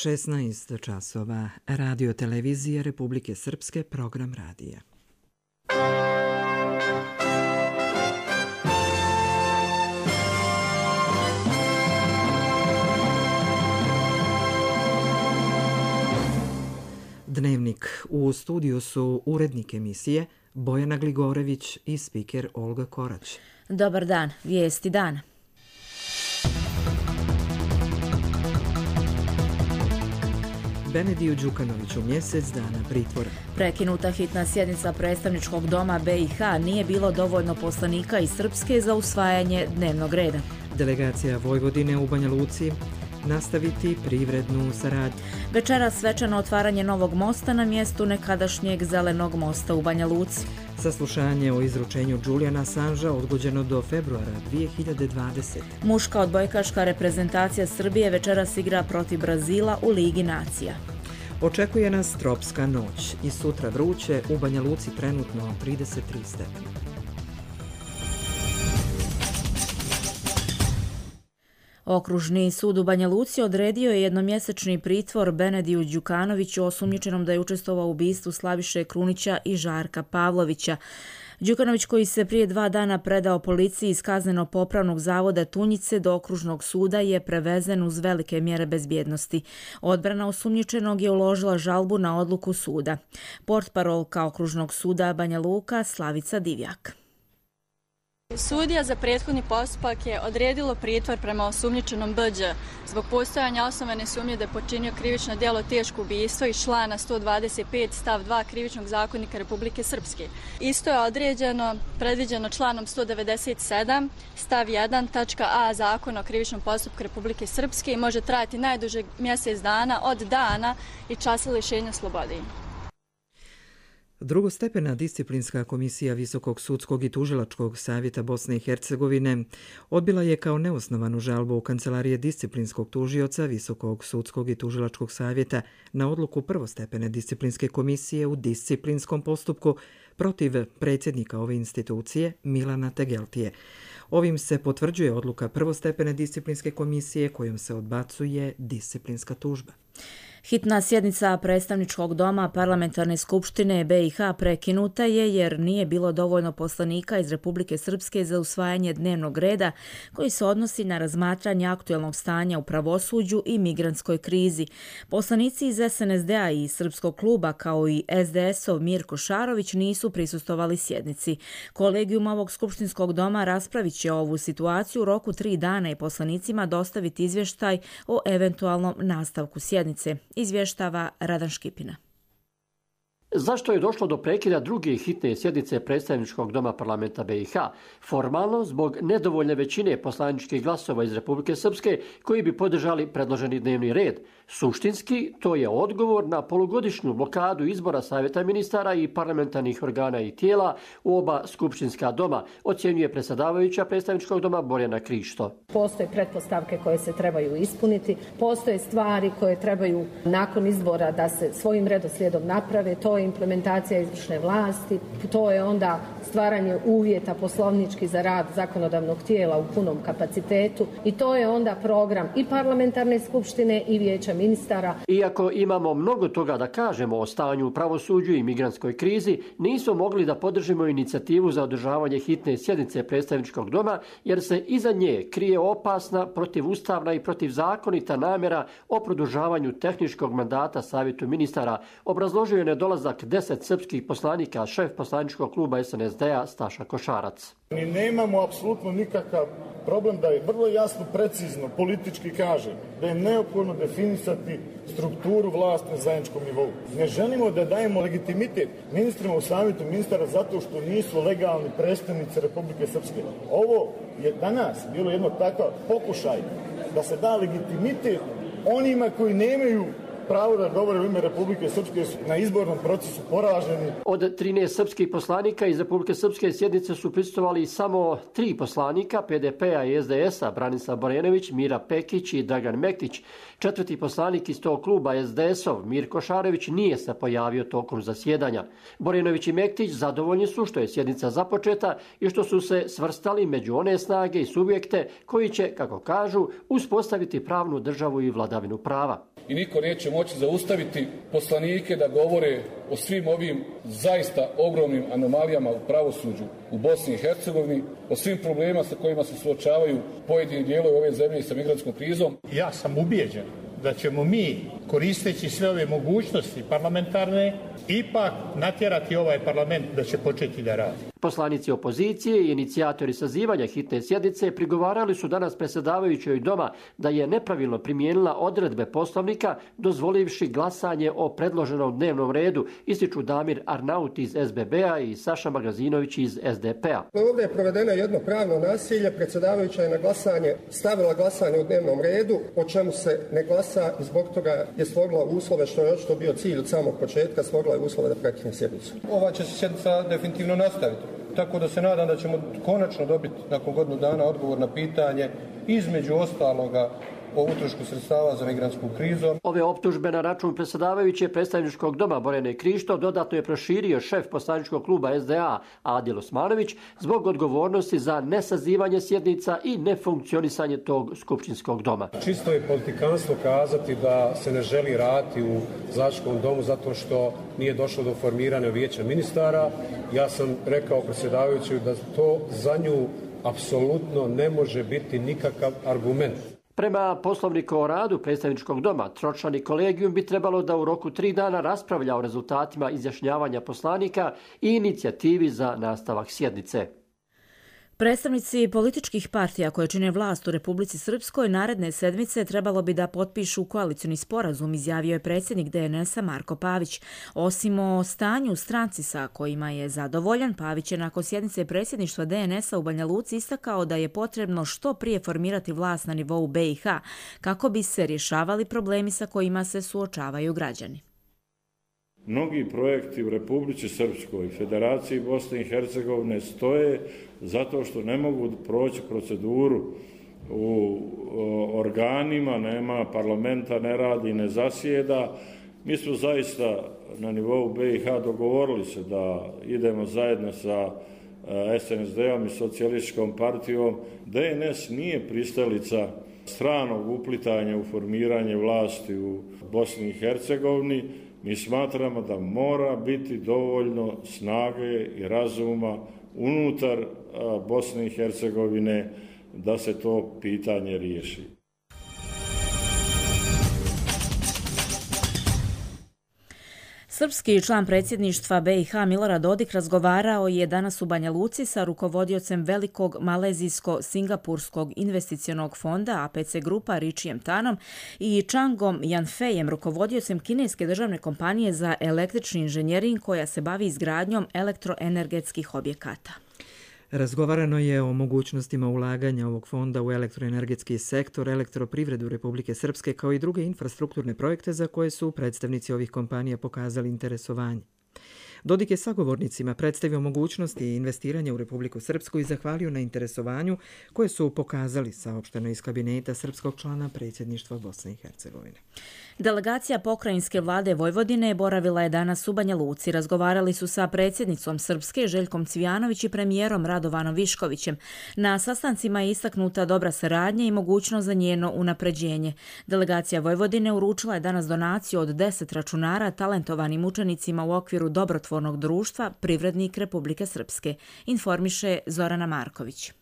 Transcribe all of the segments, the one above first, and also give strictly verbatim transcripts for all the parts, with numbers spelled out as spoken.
šesnaest časova. Radio televizije Republike Srpske, program radija. Dnevnik. U studiju su urednik emisije Bojana Gligorević i spiker Olga Korać. Dobar dan, vijesti dana. Benediju Đukanoviću mjesec dana pritvora. Prekinuta hitna sjednica predstavničkog doma B i H, nije bilo dovoljno poslanika iz Srpske za usvajanje dnevnog reda. Delegacija Vojvodine u Banja Luci nastaviti privrednu saradnju. Večeras svečano otvaranje novog mosta na mjestu nekadašnjeg Zelenog mosta u Banja Luci. Saslušanje o izručenju Juliana Assangea odgođeno do februara dvije hiljade dvadesete. Muška odbojkaška reprezentacija Srbije večeras igra protiv Brazila u Ligi nacija. Očekuje nas tropska noć i sutra vruće, u Banja Luci trenutno trideset tri stepena. Okružni sud u Banja Luci odredio je jednomjesečni pritvor Benediju Đukanoviću, osumnjičenom da je učestvovao u ubistvu Slaviše Krunića i Žarka Pavlovića. Đukanović, koji se prije dva dana predao policiji iz kazneno-popravnog zavoda Tunjice do okružnog suda, je prevezen uz velike mjere bezbjednosti. Odbrana osumnjičenog je uložila žalbu na odluku suda. Portparolka okružnog suda Banja Luka Slavica Divjak. Sudija za prethodni postupak je odredilo pritvor prema osumnjičenom B Đ zbog postojanja osnovane sumnje da je počinio krivično djelo teško ubistvo iz člana sto dvadeset pet stav dva Krivičnog zakonika Republike Srpske. Isto je određeno, predviđeno članom sto devedeset sedam stav jedan tačka a Zakona o krivičnom postupku Republike Srpske i može trajati najduže mjesec dana od dana i časa lišenja slobode. Drugostepena disciplinska komisija Visokog sudskog i tužilačkog savjeta Bosne i Hercegovine odbila je kao neosnovanu žalbu u kancelarije disciplinskog tužioca Visokog sudskog i tužilačkog savjeta na odluku prvostepene disciplinske komisije u disciplinskom postupku protiv predsjednika ove institucije Milana Tegeltije. Ovim se potvrđuje odluka prvostepene disciplinske komisije kojom se odbacuje disciplinska tužba. Hitna sjednica predstavničkog doma Parlamentarne skupštine B i H prekinuta je jer nije bilo dovoljno poslanika iz Republike Srpske za usvajanje dnevnog reda koji se odnosi na razmatranje aktuelnog stanja u pravosuđu i migrantskoj krizi. Poslanici iz S N S D-a i Srpskog kluba kao i S D S-ov Mirko Šarović nisu prisustvovali sjednici. Kolegijum ovog skupštinskog doma raspravit će ovu situaciju u roku tri dana i poslanicima dostaviti izvještaj o eventualnom nastavku sjednice. Izvještava Radan Škipina. Zašto je došlo do prekida druge hitne sjednice predstavničkog doma parlamenta B i H? Formalno, zbog nedovoljne većine poslaničkih glasova iz Republike Srpske koji bi podržali predloženi dnevni red. Suštinski, to je odgovor na polugodišnju blokadu izbora savjeta ministara i parlamentarnih organa i tijela u oba skupštinska doma, ocjenjuje predsjedavajuća predstavničkog doma Borjana Krišto. Postoje pretpostavke koje se trebaju ispuniti, postoje stvari koje trebaju nakon izbora da se svojim redoslijedom naprave, to je implementacija izvršne vlasti, to je onda stvaranje uvjeta poslovnički za rad zakonodavnog tijela u punom kapacitetu i to je onda program i parlamentarne skupštine i vijeća ministara. Iako imamo mnogo toga da kažemo o stanju u pravosuđu i migrantskoj krizi, nismo mogli da podržimo inicijativu za održavanje hitne sjednice predstavničkog doma jer se iza nje krije opasna, protivustavna i protivzakonita namjera o produžavanju tehničkog mandata savjetu ministara, obrazložio je nedolazak deset srpskih poslanika šef poslaničkog kluba S N S D-a Staša Košarac. Mi nemamo apsolutno nikakav problem da je vrlo jasno, precizno, politički kaže da je neophodno definisati strukturu vlasti na zajedničkom nivou. Ne želimo da dajemo legitimitet ministrima u savjetu ministara zato što nisu legalni predstavnici Republike Srpske. Ovo je danas bilo jedno takav pokušaj da se da legitimitet onima koji nemaju pravo da govore u ime Republike Srpske na izbornom procesu poraženi. Od trinaest srpskih poslanika iz Republike Srpske sjednice su prisustvovali samo tri poslanika P D P-a i S D S-a, Branislav Borenović, Mira Pekić i Dragan Mektić. Četvrti poslanik iz tog kluba S D S-ov, Mirko Šarović, nije se pojavio tokom zasjedanja. Borenović i Mektić zadovoljni su što je sjednica započeta i što su se svrstali među one snage i subjekte koji će, kako kažu, uspostaviti pravnu državu i vladavinu prava. i niko neće moći zaustaviti poslanike da govore o svim ovim zaista ogromnim anomalijama u pravosuđu u Bosni i Hercegovini, o svim problemima sa kojima se suočavaju pojedini dijelovi ove zemlje sa migrantskom krizom. Ja sam ubijeđen da ćemo mi, koristeći sve ove mogućnosti parlamentarne, ipak natjerati ovaj parlament da će početi da radi. Poslanici opozicije i inicijatori sazivanja hitne sjednice prigovarali su danas predsjedavajućoj doma da je nepravilno primijenila odredbe Poslovnika dozvolivši glasanje o predloženom dnevnom redu, ističu Damir Arnaut iz S B B-a i Saša Magazinović iz S D P-a. Ovdje je provedeno jedno pravno nasilje, predsjedavajuća je na glasanje stavila glasanje u dnevnom redu, o čemu se ne glasa i zbog toga je stvorila uslove, što je očito bio cilj od samog početka, stvorila je uslove da prekine sjednicu. Ova će se sjednica definitivno nastaviti. Tako da se nadam da ćemo konačno dobiti nakon godinu dana odgovor na pitanje, između ostaloga, o utrošku sredstava za migrantsku krizu. Ove optužbe na račun predsjedavajuće predstavničkog doma Borjane Krišto dodatno je proširio šef poslaničkog kluba S D A Adil Osmanović zbog odgovornosti za nesazivanje sjednica i nefunkcionisanje tog skupštinskog doma. Čisto je politikanstvo kazati da se ne želi raditi u zastupničkom domu zato što nije došlo do formiranja vijeća ministara. Ja sam rekao predsjedavajućoj da to za nju apsolutno ne može biti nikakav argument. Prema Poslovniku o radu predstavničkog doma, tročlani kolegijum bi trebalo da u roku tri dana raspravlja o rezultatima izjašnjavanja poslanika i inicijativi za nastavak sjednice. Predstavnici političkih partija koje čine vlast u Republici Srpskoj naredne sedmice trebalo bi da potpišu koalicioni sporazum, izjavio je predsjednik D N S-a Marko Pavić. Osim o stanju u stranci sa kojima je zadovoljan, Pavić je nakon sjednice predsjedništva D N S-a u Banja Luci istakao da je potrebno što prije formirati vlast na nivou B i H kako bi se rješavali problemi sa kojima se suočavaju građani. Mnogi projekti u Republici Srpskoj, Federaciji Bosne i Hercegovine stoje zato što ne mogu proći proceduru u organima, nema parlamenta, ne radi, ne zasjeda. Mi smo zaista na nivou B i H dogovorili se da idemo zajedno sa S N S D-om i socijalističkom partijom. D N S nije pristalica stranog uplitanja u formiranje vlasti u Bosni i Hercegovini. Mi smatramo da mora biti dovoljno snage i razuma unutar Bosne i Hercegovine da se to pitanje riješi. Srpski član predsjedništva B i H Milorad Dodik razgovarao je danas u Banja Luci sa rukovodiocem velikog malezijsko-singapurskog investicionog fonda A P C Grupa Ričijem Tanom i Changom Yanfejem, rukovodiocem kineske državne kompanije za električni inženjering koja se bavi izgradnjom elektroenergetskih objekata. Razgovarano je o mogućnostima ulaganja ovog fonda u elektroenergetski sektor, elektroprivredu Republike Srpske kao i druge infrastrukturne projekte za koje su predstavnici ovih kompanija pokazali interesovanje. Dodik je sagovornicima predstavio mogućnosti investiranja u Republiku Srpsku i zahvalio na interesovanju koje su pokazali, saopšteno iz kabineta srpskog člana predsjedništva Bosne i Hercegovine. Delegacija pokrajinske vlade Vojvodine boravila je danas u Banja Luci. Razgovarali su sa predsjednicom Srpske Željkom Cvijanović i premijerom Radovanom Viškovićem. Na sastancima je istaknuta dobra saradnja i mogućnost za njeno unapređenje. Delegacija Vojvodine uručila je danas donaciju od deset računara talentovanim učenicima u okviru dobrotvornog društva Privrednik Republike Srpske, informiše Zorana Marković.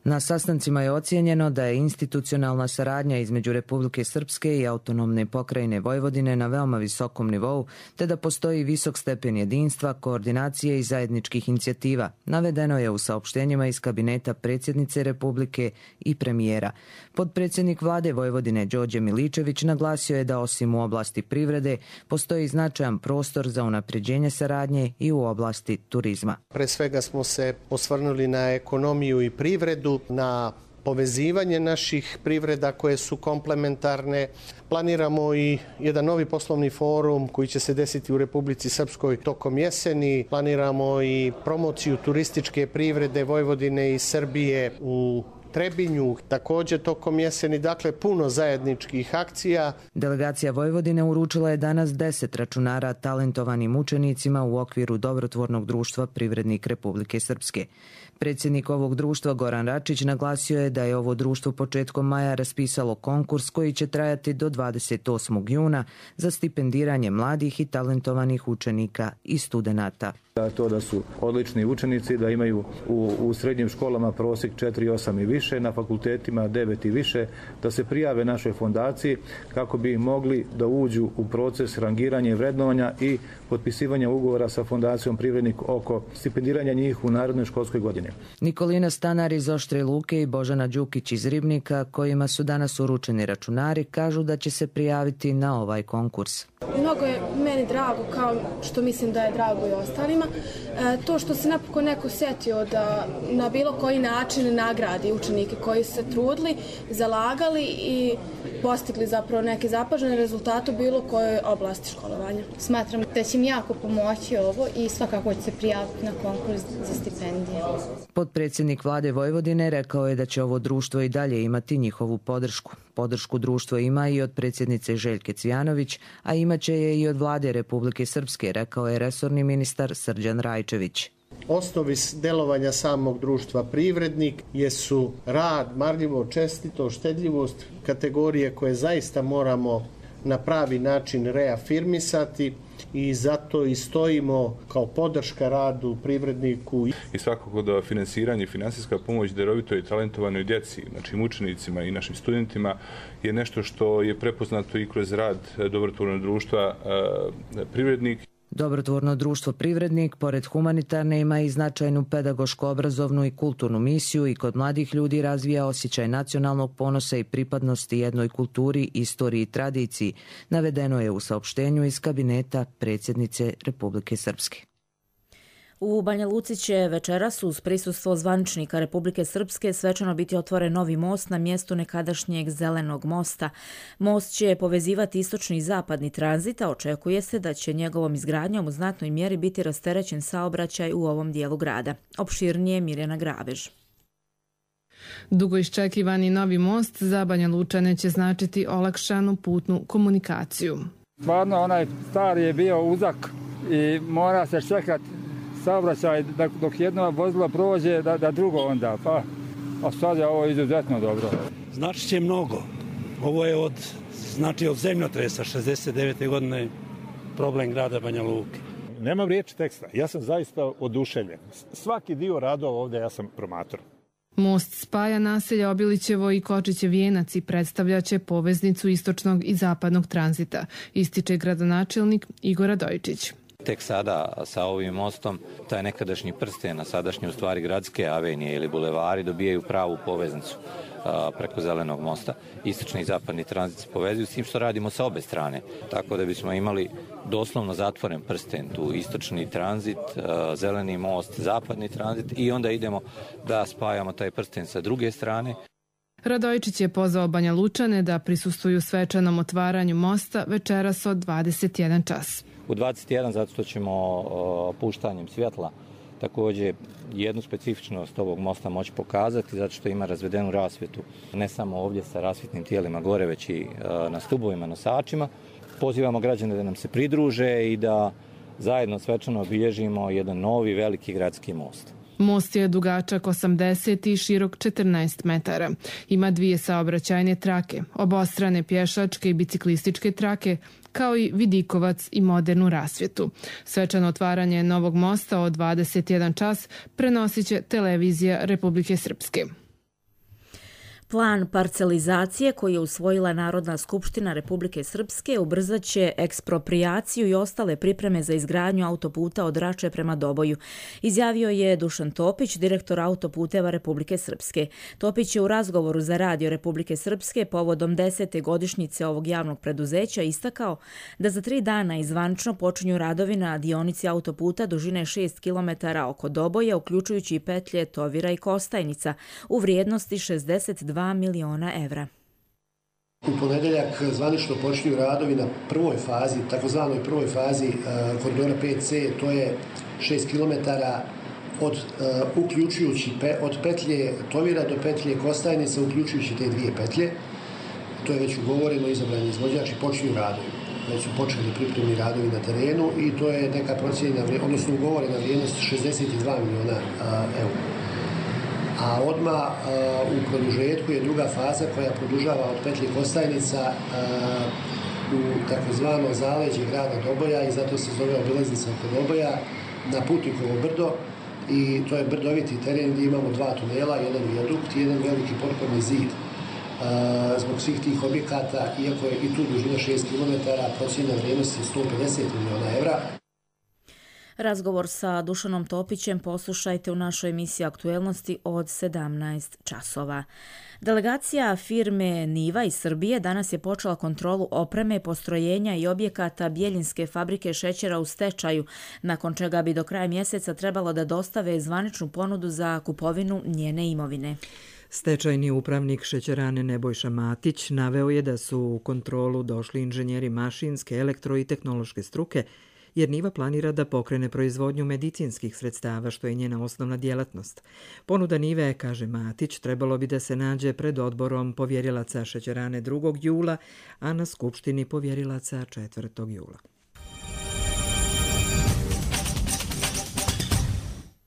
Na sastancima je ocijenjeno da je institucionalna saradnja između Republike Srpske i autonomne pokrajine Vojvodine na veoma visokom nivou, te da postoji visok stepen jedinstva, koordinacije i zajedničkih inicijativa, navedeno je u saopštenjima iz kabineta predsjednice Republike i premijera. Podpredsjednik vlade Vojvodine Đorđe Miličević naglasio je da osim u oblasti privrede postoji značajan prostor za unapređenje saradnje i u oblasti turizma. Pre svega smo se osvrnuli na ekonomiju i privredu, na povezivanje naših privreda koje su komplementarne. Planiramo i jedan novi poslovni forum koji će se desiti u Republici Srpskoj tokom jeseni. Planiramo i promociju turističke privrede Vojvodine i Srbije u Trebinju, također tokom jeseni, dakle puno zajedničkih akcija. Delegacija Vojvodine uručila je danas deset računara talentovanim učenicima u okviru dobrotvornog društva Privrednik Republike Srpske. Predsjednik ovog društva Goran Račić naglasio je da je ovo društvo početkom maja raspisalo konkurs koji će trajati do dvadeset osmog juna za stipendiranje mladih i talentovanih učenika i studenata. To da su odlični učenici, da imaju u, u srednjim školama prosjek četiri zarez osam i više, na fakultetima devet i više, da se prijave našoj fondaciji kako bi mogli da uđu u proces rangiranja i vrednovanja i potpisivanja ugovora sa fondacijom Privrednik oko stipendiranja njih u narednoj školskoj godini. Nikolina Stanar iz Oštre Luke i Božana Đukić iz Ribnika, kojima su danas uručeni računari, kažu da će se prijaviti na ovaj konkurs. Mnogo je meni drago, kao što mislim da je drago i ostalima, e, to što se napokon neko setio da na bilo koji način nagradi učenike koji su se trudili, zalagali i postigli zapravo neke zapažene rezultate u bilo kojoj oblasti školovanja. Smatram da će mi jako pomoći ovo i svakako će se prijaviti na konkurs za stipendije. Potpredsjednik vlade Vojvodine rekao je da će ovo društvo i dalje imati njihovu podršku. Podršku društvo ima i od predsjednice Željke Cvijanović, a imaće je i od vlade Republike Srpske, rekao je resorni ministar Srđan Rajčević. Osnovi delovanja samog društva Privrednik jesu rad, marljivo, čestito, štedljivost, kategorije koje zaista moramo na pravi način reafirmisati i zato i stojimo kao podrška radu Privredniku. I svakako da finansiranje i finansijska pomoć darovitoj i talentovanoj djeci, našim učenicima i našim studentima je nešto što je prepoznato i kroz rad dobrotvornog društva Privrednik. Dobrotvorno društvo Privrednik, pored humanitarne, ima i značajnu pedagoško-obrazovnu i kulturnu misiju i kod mladih ljudi razvija osjećaj nacionalnog ponosa i pripadnosti jednoj kulturi, istoriji i tradiciji, navedeno je u saopštenju iz kabineta predsjednice Republike Srpske. U Banja Luci će večeras uz prisustvo zvaničnika Republike Srpske svečano biti otvoren novi most na mjestu nekadašnjeg Zelenog mosta. Most će povezivati istočni i zapadni tranzit, a očekuje se da će njegovom izgradnjom u znatnoj mjeri biti rasterećen saobraćaj u ovom dijelu grada. Opširnije Mirjana Grabež. Dugo iščekivani novi most za Banja Lučane će značiti olakšanu putnu komunikaciju. Stvarno onaj stari je bio uzak i mora se čekati saobraćaj dok jedno vozilo prođe da, da drugo onda, pa a sad je ovo izuzetno dobro. Znači će mnogo. Ovo je od, znači od zemljotresa šezdeset devete godine problem grada Banja Luke. Nemam riječi teksta, ja sam zaista oduševljen. Svaki dio radova ovdje ja sam promatrao. Most spaja naselja Obilićevo i Kočiće Vijenac i predstavljaće poveznicu istočnog i zapadnog tranzita, ističe gradonačelnik Igor Radojčić. Tek sada sa ovim mostom taj nekadašnji prsten, a sadašnje u stvari gradske avenije ili bulevari dobijaju pravu poveznicu a, preko Zelenog mosta. Istočni i zapadni tranzit se povezuju s tim što radimo sa obe strane. Tako da bismo imali doslovno zatvoren prsten, tu istočni tranzit, a, zeleni most, zapadni tranzit i onda idemo da spajamo taj prsten sa druge strane. Radojčić je pozvao Banja Lučane da prisustvuju svečanom otvaranju mosta večeras od dvadeset jedan čas. U dvadeset jedan zato što ćemo o, puštanjem svjetla također jednu specifičnost ovog mosta moći pokazati zato što ima razvedenu rasvjetu ne samo ovdje sa rasvjetnim tijelima gore već i o, na stubovima, nosačima. Pozivamo građane da nam se pridruže i da zajedno svečano obilježimo jedan novi veliki gradski most. Most je dugačak osamdeset i širok četrnaest metara. Ima dvije saobraćajne trake, obostrane pješačke i biciklističke trake, kao i vidikovac i modernu rasvjetu. Svečano otvaranje novog mosta od dvadeset jedan čas prenosit će televizija Republike Srpske. Plan parcelizacije koji je usvojila Narodna skupština Republike Srpske ubrzat će eksproprijaciju i ostale pripreme za izgradnju autoputa od Rače prema Doboju, izjavio je Dušan Topić, direktor autoputeva Republike Srpske. Topić je u razgovoru za Radio Republike Srpske povodom desete godišnjice ovog javnog preduzeća istakao da za tri dana izvanično počinju radovi na dionici autoputa dužine šest kilometara oko Doboja, uključujući i petlje Tovira i Kostajnica, u vrijednosti šezdeset dva miliona evra. U ponedeljak zvanično počinju radovi na prvoj fazi, takozvanoj prvoj fazi koridora pet ce, to je šest kilometara od uh, uključujući pe, od petlje Tovira do petlje Kostajnica, uključujući te dvije petlje. To je već ugovoreno, izabrani izvođač i počinju radovi. Već su počeli pripremni radovi na terenu i to je neka procijenjena, odnosno ugovorena vrijednost šezdeset dva miliona uh, eura. a odmah u produžetku je druga faza koja produžava od Petlji Kostajnica u takozvano zaleđe grada Doboja i zato se zove obilaznica oko Doboja na Putnikovo brdo i to je brdoviti teren gdje imamo dva tunela, jedan vijadukt i jedan veliki potporni zid. Zbog svih tih objekata, iako je i tu dužina šest kilometara, procjena vrijednosti je sto pedeset miliona evra. Razgovor sa Dušanom Topićem poslušajte u našoj emisiji Aktuelnosti od sedamnaest časova. Delegacija firme Niva iz Srbije danas je počela kontrolu opreme, postrojenja i objekata Bjeljinske fabrike šećera u stečaju, nakon čega bi do kraja mjeseca trebalo da dostave zvaničnu ponudu za kupovinu njene imovine. Stečajni upravnik šećerane Nebojša Matić naveo je da su u kontrolu došli inženjeri mašinske, elektro i tehnološke struke, jer Niva planira da pokrene proizvodnju medicinskih sredstava, što je njena osnovna djelatnost. Ponuda Nive, kaže Matić, trebalo bi da se nađe pred odborom povjerilaca šećerane drugog jula, a na skupštini povjerilaca četvrtog jula.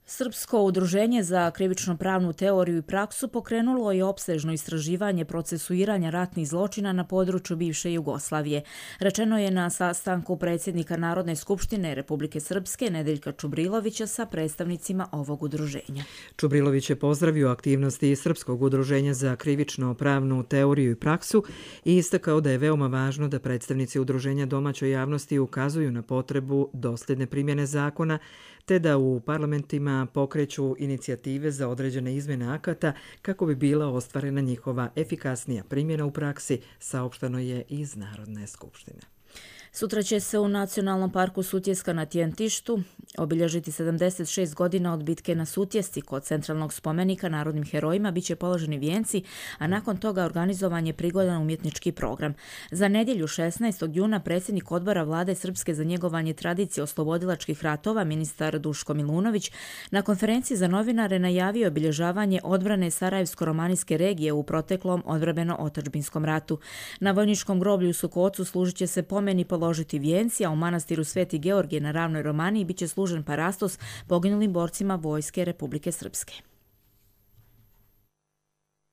Srpsko udruženje za krivično-pravnu teoriju i praksu pokrenulo je opsežno istraživanje procesuiranja ratnih zločina na području bivše Jugoslavije. Rečeno je na sastanku predsjednika Narodne skupštine Republike Srpske Nedeljka Čubrilovića sa predstavnicima ovog udruženja. Čubrilović je pozdravio aktivnosti Srpskog udruženja za krivično-pravnu teoriju i praksu i istakao da je veoma važno da predstavnici udruženja domaćoj javnosti ukazuju na potrebu dosljedne primjene zakona, te da u parlamentima pokreću inicijative za određene izmjene akata kako bi bila ostvarena njihova efikasnija primjena u praksi, saopšteno je iz Narodne skupštine. Sutra će se u Nacionalnom parku Sutjeska na Tjentištu obilježiti sedamdeset šest godina od bitke na Sutjesci. Kod centralnog spomenika narodnim herojima biće položeni vijenci, a nakon toga organizovan je prigodan umjetnički program. Za nedjelju šesnaestog juna predsjednik odbora Vlade Srpske za njegovanje tradicije oslobodilačkih ratova, ministar Duško Milunović, na konferenciji za novinare najavio obilježavanje odbrane Sarajevsko-romanijske regije u proteklom odbrambeno-otadžbinskom ratu. Na vojničkom groblju u Sukocu služit će se pomeni položiti vijenci, a u manastiru Sveti Georgije na Ravnoj Romaniji biće služen parastos poginulim borcima Vojske Republike Srpske.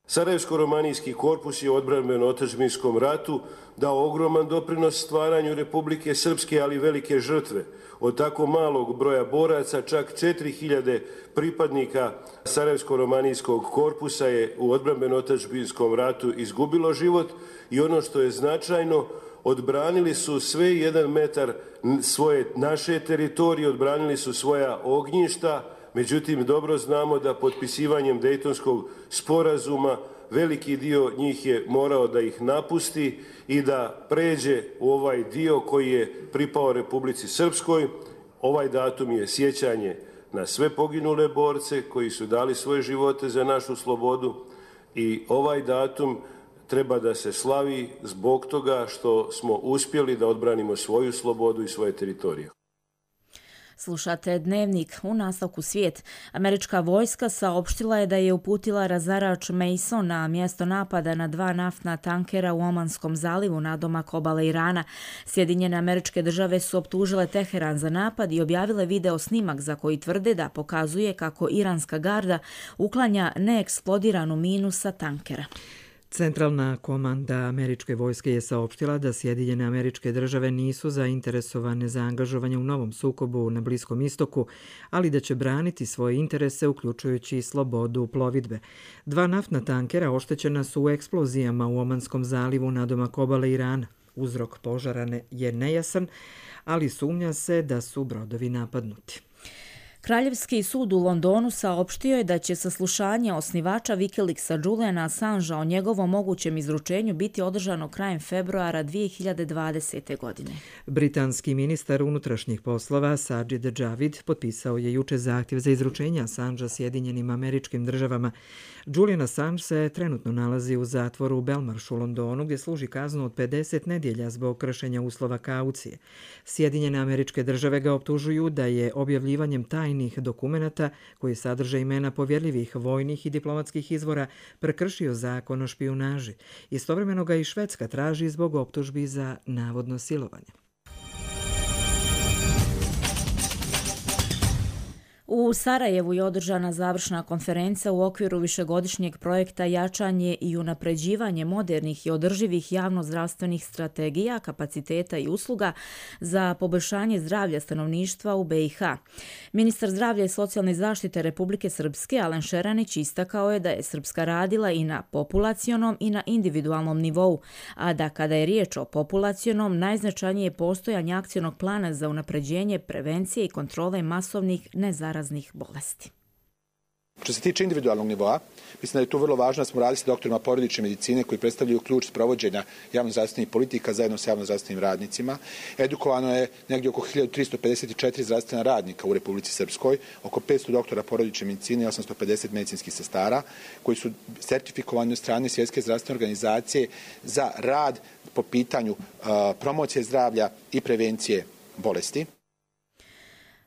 Sarajevsko-romanijski korpus je u odbrambeno-otadžbinskom ratu dao ogroman doprinos stvaranju Republike Srpske, ali velike žrtve. Od tako malog broja boraca, čak četiri hiljade pripadnika Sarajevsko-romanijskog korpusa je u odbrambeno-otadžbinskom ratu izgubilo život i ono što je značajno, odbranili su sve jedan metar svoje naše teritorije, odbranili su svoja ognjišta, međutim dobro znamo da potpisivanjem Dejtonskog sporazuma veliki dio njih je morao da ih napusti i da pređe u ovaj dio koji je pripao Republici Srpskoj. Ovaj datum je sjećanje na sve poginule borce koji su dali svoje živote za našu slobodu i ovaj datum treba da se slavi zbog toga što smo uspjeli da odbranimo svoju slobodu i svoje teritorije. Slušate Dnevnik. U nastavku svijet. Američka vojska saopštila je da je uputila razarač Mason na mjesto napada na dva naftna tankera u Omanskom zalivu nadomak obale Irana. Sjedinjene Američke Države su optužile Teheran za napad i objavile video snimak za koji tvrde da pokazuje kako iranska garda uklanja neeksplodiranu minu sa tankera. Centralna komanda američke vojske je saopštila da Sjedinjene Američke Države nisu zainteresovane za angažovanje u novom sukobu na Bliskom istoku, ali da će braniti svoje interese uključujući i slobodu plovidbe. Dva naftna tankera oštećena su u eksplozijama u Omanskom zalivu nadomak obale Irana. Uzrok požara je nejasan, ali sumnja se da su brodovi napadnuti. Kraljevski sud u Londonu saopštio je da će saslušanje osnivača Wikileaksa Juliana Assangea o njegovom mogućem izručenju biti održano krajem februara dvije hiljade dvadesete. godine. Britanski ministar unutrašnjih poslova Sajid Javid potpisao je juče zahtjev za izručenje Assangea Sjedinjenim Američkim Državama. Julian Assange se trenutno nalazi u zatvoru u Belmarshu u Londonu, gdje služi kaznu od pedeset nedjelja zbog kršenja uslova kaucije. Sjedinjene Američke Države ga optužuju da je objavljivanjem tajnih dokumenata koji sadrže imena povjerljivih vojnih i diplomatskih izvora prekršio zakon o špijunaži. Istovremeno ga i Švedska traži zbog optužbi za navodno silovanje. U Sarajevu je održana završna konferencija u okviru višegodišnjeg projekta Jačanje i unapređivanje modernih i održivih javnozdravstvenih strategija, kapaciteta i usluga za poboljšanje zdravlja stanovništva u be i ha. Ministar zdravlja i socijalne zaštite Republike Srpske Alen Šeranić istakao je da je Srpska radila i na populacionom i na individualnom nivou, a da kada je riječ o populacionom, najznačajnije je postojanje akcionog plana za unapređenje prevencije i kontrole masovnih nezaraznih raznih bolesti. Što se tiče individualnog nivoa, mislim da je tu vrlo važno da smo radili sa doktorima porodične medicine koji predstavljaju ključ sprovođenja javnozdravstvenih politika zajedno sa javnozdravstvenim radnicima. Edukovano je negdje oko hiljadu tristo pedeset četiri zdravstvena radnika u Republici Srpskoj, oko petsto doktora porodične medicine i osamsto pedeset medicinskih sestara koji su sertifikovani od strane Svjetske zdravstvene organizacije za rad po pitanju uh, promocije zdravlja i prevencije bolesti.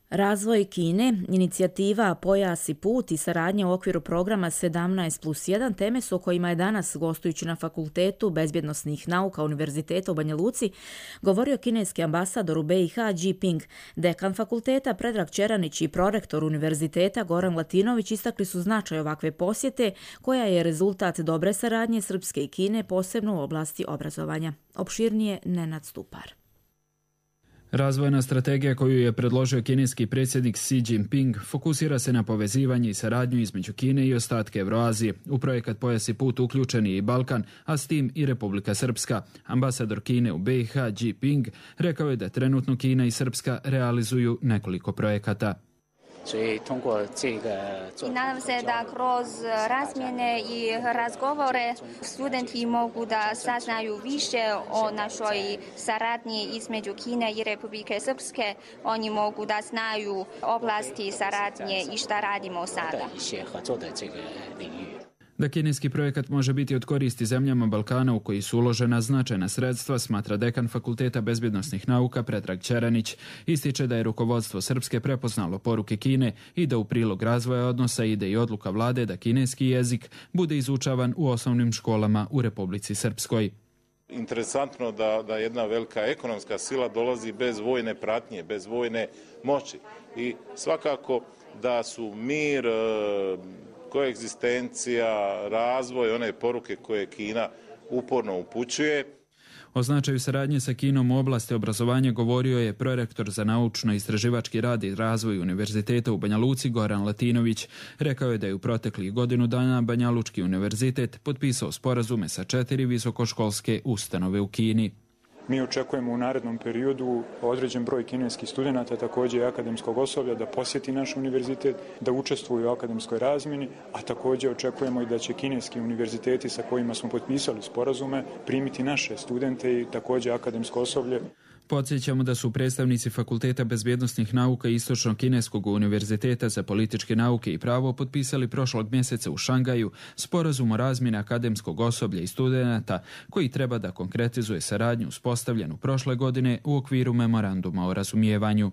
Razvoj Kine, inicijativa Pojas i put i saradnja u okviru programa sedamnaest plus jedan teme su o kojima je danas, gostujući na Fakultetu bezbjednosnih nauka Univerziteta u Banja Luci, govorio kineski ambasador u be i ha Ji Ping. Dekan fakulteta Predrag Čeranić i prorektor Univerziteta Goran Latinović istakli su značaj ovakve posjete, koja je rezultat dobre saradnje Srpske i Kine, posebno u oblasti obrazovanja. Opširnije Nenad Stupar. Razvojna strategija koju je predložio kineski predsjednik Xi Jinping fokusira se na povezivanje i saradnju između Kine i ostatke Evroazije. U projekat Pojas i put uključen je i Balkan, a s tim i Republika Srpska. Ambasador Kine u be i ha Ji Ping rekao je da trenutno Kina i Srpska realizuju nekoliko projekata. I nadam se da kroz razmjene i razgovore studenti mogu da saznaju više o našoj saradnji između Kine i Republike Srpske. Oni mogu da znaju oblasti saradnje i šta radimo sada. Da kineski projekat može biti od koristi zemljama Balkana u koji su uložena značajna sredstva, smatra dekan Fakulteta bezbjednosnih nauka Predrag Čeranić. Ističe da je rukovodstvo Srpske prepoznalo poruke Kine i da u prilog razvoja odnosa ide i odluka vlade da kineski jezik bude izučavan u osnovnim školama u Republici Srpskoj. Interesantno da, da jedna velika ekonomska sila dolazi bez vojne pratnje, bez vojne moći. I svakako da su mir, koegzistencija, razvoj, one poruke koje Kina uporno upućuje. O značaju saradnje sa Kinom u oblasti obrazovanja govorio je prorektor za naučno-istraživački rad i razvoj Univerziteta u Banja Luci Goran Latinović. Rekao je da je u proteklih godinu dana Banja Lučki univerzitet potpisao sporazume sa četiri visokoškolske ustanove u Kini. Mi očekujemo u narednom periodu određen broj kineskih studenata, također i akademskog osoblja, da posjeti naš univerzitet, da učestvuju u akademskoj razmjeni, a također očekujemo i da će kineski univerziteti sa kojima smo potpisali sporazume primiti naše studente i također akademsko osoblje. Podsjećamo da su predstavnici Fakulteta bezbjednosnih nauka Istočno-kineskog univerziteta za političke nauke i pravo potpisali prošlog mjeseca u Šangaju sporazum o razmjeni akademskog osoblja i studenata koji treba da konkretizuje saradnju uspostavljenu prošle godine u okviru memoranduma o razumijevanju.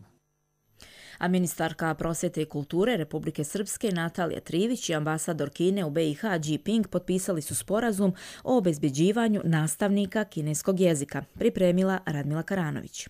A ministarka prosvjete i kulture Republike Srpske Natalija Trivić i ambasador Kine u be i ha Ji Ping potpisali su sporazum o obezbeđivanju nastavnika kineskog jezika, pripremila Radmila Karanović.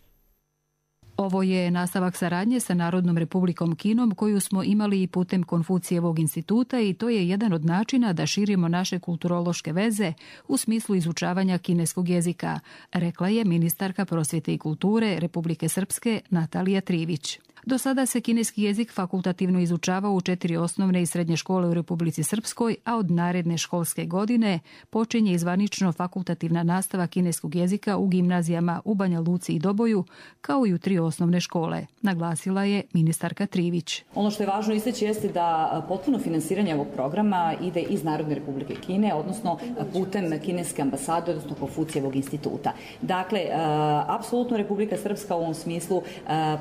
Ovo je nastavak saradnje sa Narodnom Republikom Kinom koju smo imali i putem Konfucijevog instituta i to je jedan od načina da širimo naše kulturološke veze u smislu izučavanja kineskog jezika, rekla je ministarka prosvjete i kulture Republike Srpske Natalija Trivić. Do sada se kineski jezik fakultativno izučava u četiri osnovne i srednje škole u Republici Srpskoj, a od naredne školske godine počinje izvanično fakultativna nastava kineskog jezika u gimnazijama u Banja Luci i Doboju, kao i u tri osnovne škole, naglasila je ministarka Trivić. Ono što je važno istaći jeste da potpuno finansiranje ovog programa ide iz Narodne Republike Kine, odnosno putem kineske ambasade, odnosno Konfucijevog instituta. Dakle, apsolutno Republika Srpska u ovom smislu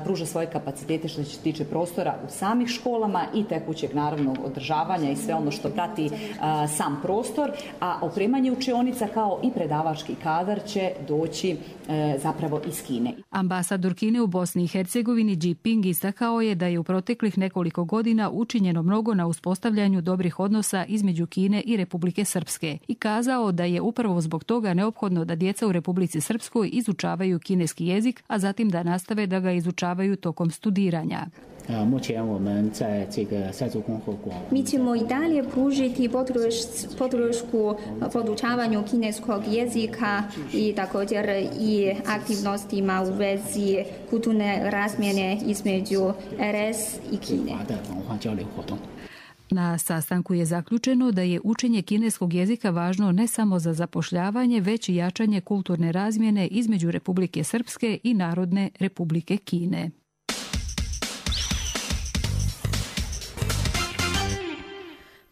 pruža svoje kapacitete što se tiče prostora u samih školama i tekućeg naravnog održavanja i sve ono što prati a, sam prostor, a opremanje učionica kao i predavački kadar će doći e, zapravo iz Kine. Ambasador Kine u Bosni i Hercegovini Ji Ping istakao je da je u proteklih nekoliko godina učinjeno mnogo na uspostavljanju dobrih odnosa između Kine i Republike Srpske i kazao da je upravo zbog toga neophodno da djeca u Republici Srpskoj izučavaju kineski jezik, a zatim da nastave da ga izučavaju tokom studiranja. Mi ćemo i dalje pružiti podršku podučavanju kineskog jezika i također i aktivnostima u vezi kulturne razmjene između R S i Kine. Na sastanku je zaključeno da je učenje kineskog jezika važno ne samo za zapošljavanje, već i jačanje kulturne razmjene između Republike Srpske i Narodne Republike Kine.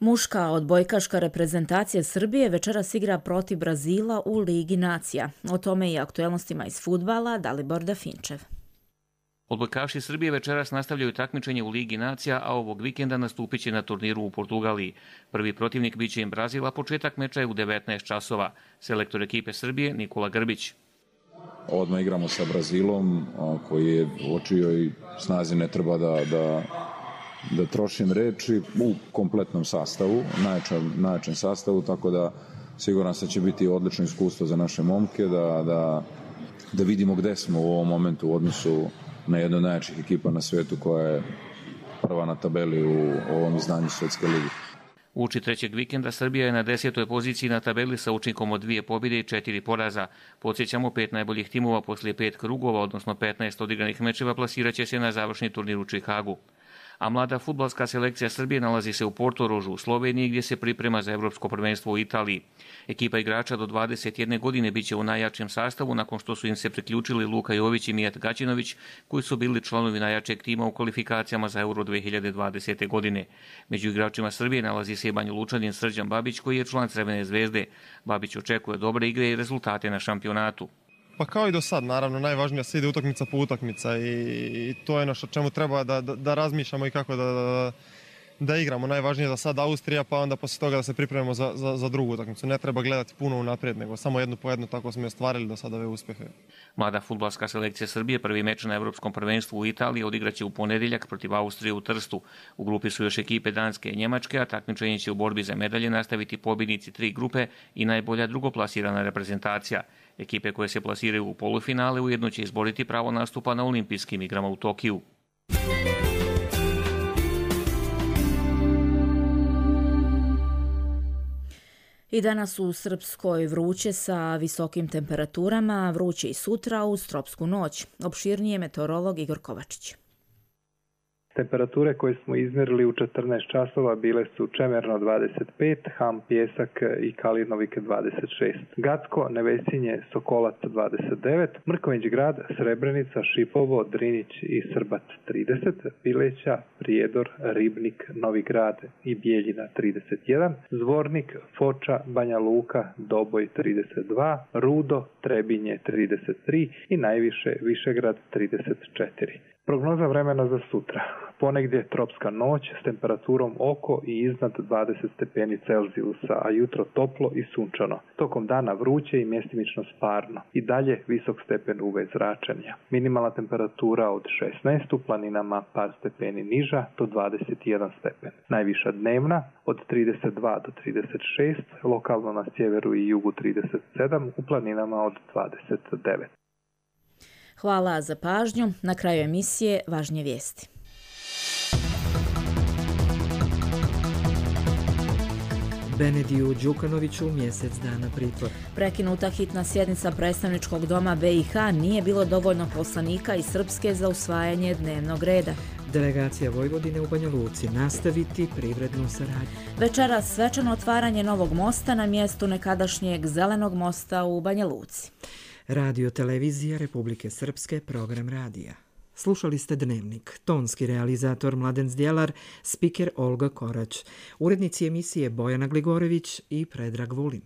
Muška odbojkaška reprezentacija Srbije večeras igra protiv Brazila u Ligi nacija. O tome i aktuelnostima iz fudbala Dalibor Dafinčev. Odbojkaši Srbije večeras nastavljaju takmičenje u Ligi nacija, a ovog vikenda nastupit će na turniru u Portugaliji. Prvi protivnik biće im Brazil, a početak meča je u devetnaest časova. Selektor ekipe Srbije Nikola Grbić. Odmah igramo sa Brazilom, koji je u očijoj snazi, ne treba da, da, da trošim reči, u kompletnom sastavu, najjačem, najjačem sastavu, tako da siguran sam da će biti odlično iskustvo za naše momke, da, da, da vidimo gde smo u ovom momentu u odnosu na jednu od najjačih ekipa na svetu koja je prva na tabeli u ovom izdanju Svetske lige. Uoči trećeg vikenda Srbija je na desetoj poziciji na tabeli sa učinkom od dvije pobjede i četiri poraza. Podsjećamo, pet najboljih timova poslije pet krugova, odnosno petnaest odigranih mečeva, plasiraće se na završni turnir u Čikagu. A mlada fudbalska selekcija Srbije nalazi se u Portorožu u Sloveniji, gdje se priprema za evropsko prvenstvo u Italiji. Ekipa igrača do dvadeset jedne godine biće u najjačem sastavu nakon što su im se priključili Luka Jović i Mijat Gaćinović, koji su bili članovi najjačeg tima u kvalifikacijama za Euro dve hiljade dvadesete. godine. Među igračima Srbije nalazi se i Banja Lučanin Srđan Babić, koji je član Crvene zvezde. Babić očekuje dobre igre i rezultate na šampionatu. Pa kao i do sad, naravno, najvažnije se ide utakmica po utakmica i, i to je ono što čemu treba da, da, da razmišljamo i kako da, da, da igramo. Najvažnije je za sad Austrija, pa onda poslije toga da se pripremimo za, za, za drugu utakmicu. Ne treba gledati puno unaprijed, nego samo jednu po jednu, tako smo je ostvarili do sada ove uspjehe. Mlada fudbalska selekcija Srbije prvi meč na evropskom prvenstvu u Italiji odigraće u ponedjeljak protiv Austrije u Trstu. U grupi su još ekipe Danske i Njemačke, a takmičenje će u borbi za medalje nastaviti pobjednici tri grupe i najbolja drugoplasirana reprezentacija. Ekipe koje se plasiraju u polufinale ujedno će izboriti pravo nastupa na olimpijskim igrama u Tokiju. I danas u Srpskoj vruće sa visokim temperaturama, vruće i sutra uz tropsku noć. Opširnije meteorolog Igor Kovačić. Temperature koje smo izmjerili u četrnaest časova bile su Čemerno dvadeset pet, Ham, Pjesak i Kalinovik dvadeset šest, Gacko, Nevesinje, Sokolac dvadeset devet, Mrkonjić grad, Srebrenica, Šipovo, Drinić i Srbat trideset, Pileća, Prijedor, Ribnik, Novi grad i Bijeljina trideset jedan, Zvornik, Foča, Banja Luka, Doboj trideset dva, Rudo, Trebinje trideset tri i najviše Višegrad trideset četiri. Prognoza vremena za sutra. Ponegdje tropska noć s temperaturom oko i iznad dvadeset stepeni Celzijusa, a jutro toplo i sunčano. Tokom dana vruće i mjestimično sparno. I dalje visok stepen U V zračenja. Minimalna temperatura od šesnaest, u planinama par stepeni niža do dvadeset jedan stepen. Najviša dnevna od trideset dva do trideset šest, lokalno na sjeveru i jugu trideset sedam, u planinama od dvadeset devet. Hvala za pažnju. Na kraju emisije važnije vijesti. Benediju Đukanoviću mjesec dana pritvor. Prekinuta hitna sjednica predstavničkog doma B i H, nije bilo dovoljno poslanika iz Srpske za usvajanje dnevnog reda. Delegacija Vojvodine u Banja Luci nastaviti privrednu saradnju. Večeras svečano otvaranje novog mosta na mjestu nekadašnjeg Zelenog mosta u Banja Luci. Radio Televizija Republike Srpske, program radija. Slušali ste Dnevnik, tonski realizator Mladen Zdjelar, spiker Olga Korać, urednici emisije Bojana Gligorević i Predrag Vulin.